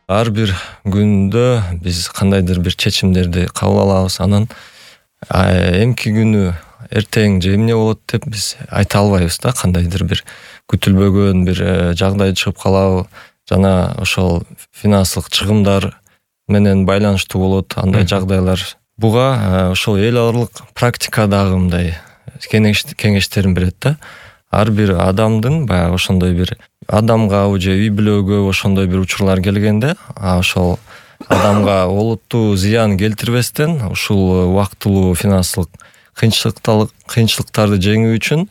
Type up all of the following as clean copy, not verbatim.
ар бир күндө биз кандайдыр бир чечимдерди кабыл алабыз. Анан эмки күнү эртең же эмне болот деп биз айта албайбыз да. Кандайдыр бир күтүлбөгөн бир жагдай чыгып калабы, жана ошол финансылык чыгымдар менен байланыштуу болот андай жагдайлар. Буга ошол эл аралык практика дагы мындай кеңештерин берет да. Ар бир адамдын баягы ошондой бир адамга же үй бүлөгө ошондой бир учурлар келгенде, ошол адамга олуттуу зыян келтирбестен ушул убактылуу финансылык кыйынчылыктарды жеңүү үчүн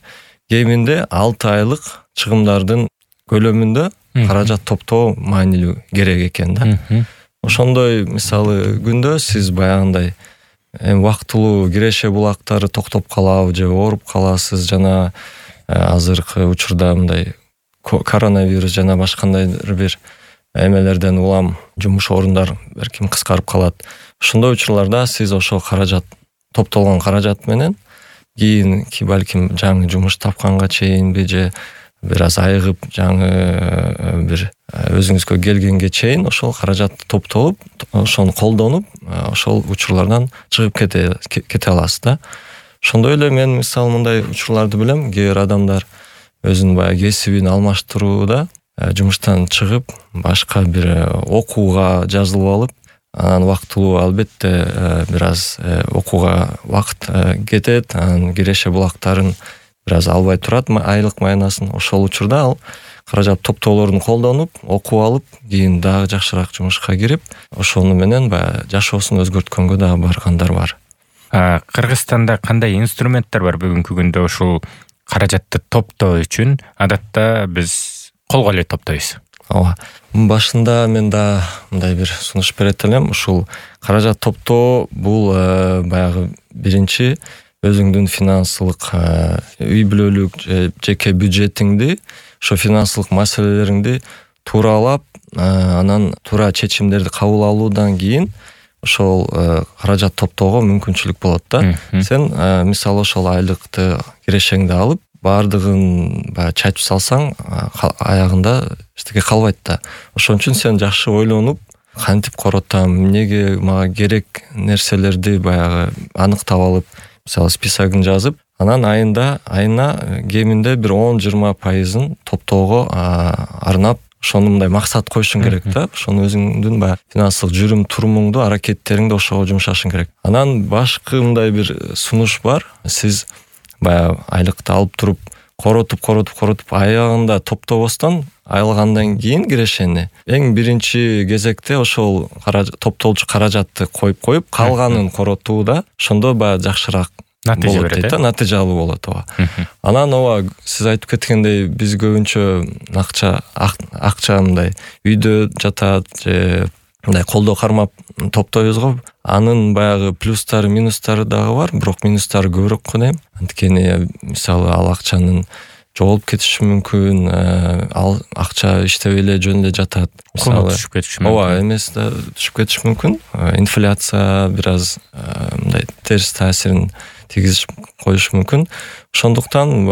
кеминде 6 айлык чыгымдардын көлөмүндө каражат топтоо маанилүү керек экен да. Ошондой мисалы күндө сиз баягындай убактылуу киреше булактары токтоп калабы же ооруп каласыз, жана азыркы учурда мындай коронавирус жана башкандайдыр бир эмелерден улам жумуш орундар берким кыскарып калат. Ошондой учурларда сиз ошол каражат топтолгон каражат менен кийин балким жаңы жумуш тапканга чейинби же бир аз айыгып жаңы бир өзүңүзгө келгенге чейин ошол каражат топтолуп, ошону колдонуп, ошол учурлардан чыгып кете аласыз да. Ошондой эле мен мисалы мындай учурларды билем. Кээ бир адамдар өзүнүн баягы кесибин алмаштырууда жумуштан чыгып башка бир окууга жазылып алып, анан убактылуу албетте бир аз окууга убакыт кетет, анан киреше булактарын бир аз албай турат айлык майнасын. Ошол учурда ал каражат топтоолорун колдонуп, окуп алып, кийин дагы жакшыраак жумушка кирип, ошону менен баягы жашоосун өзгөрткөнгө дагы баргандар бар. Кыргызстанда кандай инструменттер бар бүгүнкү күндө ушул каражатты топтоо үчүн? Адатта биз колго эле топтойбуз. Ооба. Башында мен да мындай бир сунуш берет элем. Ушул каражат топтоо бул баягы биринчи өзүңдүн финансылык үй бүлөлүк жеке бюджетиңди, ошо финансылык маселелериңди тууралап, анан туура чечимдерди кабыл алуудан кийин ошол каражат топтоого мүмкүнчүлүк болот да. Сен мисалы ошол айлыкты кирешеңди алып, баардыгын баягы чачып салсаң, аягында эчтеке калбайт да. Ошон үчүн сен жакшы ойлонуп, кантип коротам, эмнеге мага керек нерселерди баягы аныктап алып, мисалы списогун жазып, анан айына кеминде бир 10-20% топтоого арнап, ошону мындай максат коюшуң керек да. Ошону өзүңдүн баягы финансылык жүрүм турумуңду, аракеттериңди ошого жумшашың керек. Анан башкы мындай бир сунуш бар. Сиз баягы айлыкты алып туруп, коротуп аягында топтобостон, айылгандан кийин кирешени эң биринчи кезекте ошол топтолчу каражатты коюп, калганын коротууда, ошондо баягы жакшыраак натыйжа берет, натыйжалуу болот. Анан сиз айтып кеткендей, биз көбүнчө акча мындай үйдө жатат же мындай колдо кармап топтойбуз го. Анын баягы плюстары, минустары дагы бар, бирок минустары көбүрөөк го дейм. Анткени мисалы ал акчанын жоголуп кетиши мүмкүн, ал акча иштебей эле жөн эле жатат. Мисалы түшүп кетиши мүмкүн. Ооба, эмес да түшүп кетиши мүмкүн. Инфляция бир аз мындай терс таасирин тийгизип коюшу мүмкүн. Ошондуктан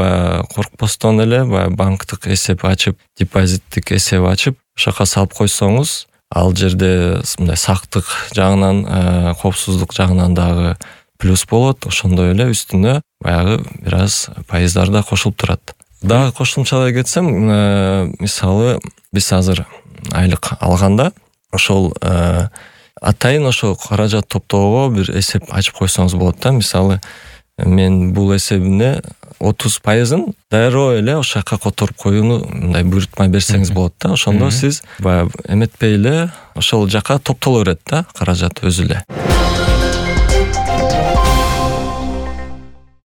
коркпостон эле банктык эсеп ачып, депозиттик эсеп ачып, ошака салып койсоңуз, ал жерде мындай сактык жагынан, коопсуздук жагынан дагы плюс болот. Ошондой эле үстүнө баягы бир аз пайыздар да кошулуп турат. Дагы кошумчалай кетсем, мисалы биз азыр айлык алганда ошол атайын ошол каражат топтоого бир эсеп ачып койсоңуз болот да. Мисалы мен бул эсебине 30%-ын дароо эле ошол жака которуп коюуну мындай буйрутма берсеңиз болот да. Ошондо сиз баягы эметпей эле ошол жака топтоло берет да каражат өзү эле.